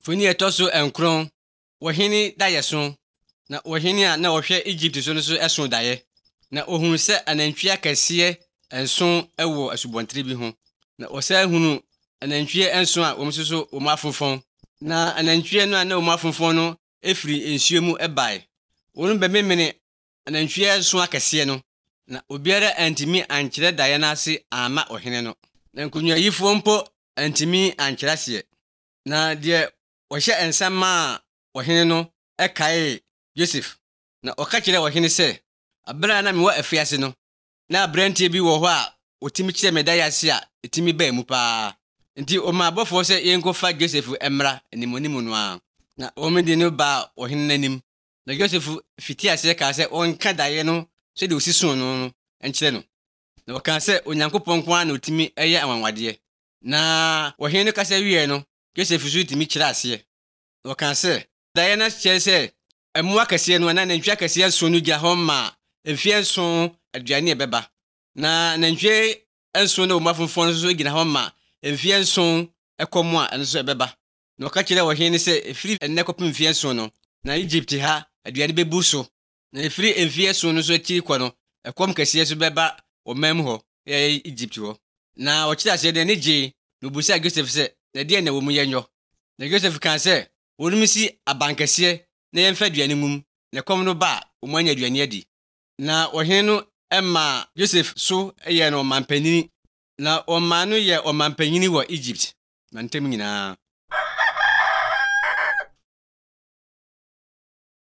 Funi etoso enkron wohene dayeso na wohene a na wohwe Egypt so no so eso daye na ohunu se anantwi akese enso ewo asubontre bi ho na osa hunu anantwi enso a omsuso omafonfon na anantwi no a na omafonfon no efiri ensuo mu ebae wonu bememene anantwi enso akese no na obiara antimi ankyere daye na ase ama ohene no na nkunwa yifo mpo antimi ankyere ase na de wohye ensama ohene no ekae Joseph na okakire ohene se abra na me wa afiase no na abrantie bi wo ho a otimi kire medaya ase a etimi ba mu pa nti o ma abofo se yenkofa Joseph emra animonimu no a na omedi no ba ohene nanim na Joseph fiti ase ka se onka daye no se de osisun no enkire no na oka se onyankopon kwa na otimi eye anwanwade na ohene no kasa wie no Joseph su timi kire ase na oka se daye na kire se emu akese no na nantwi akese so no gya ho ma efie nso aduane ebeba na nantwi enso no mafonfon so gina ho ma efie nso ekomo a enso ebeba na oka kire ohene se efiri ennekopim efie nso no na Egypt ha aduane bebu so na efiri efie so no so akiri kɔ no ekom kese so beba omam ho Egypt ho na okira se de ne gye no busa Joseph se na de na wo mu yenyo na Joseph kan se wonumisi abankese na yemfa aduane ngum na kom no ba omanya aduane adi na ohene no emma Joseph so ye no mampanini na oma no ye omampanyini wo Egypt na ntem nyina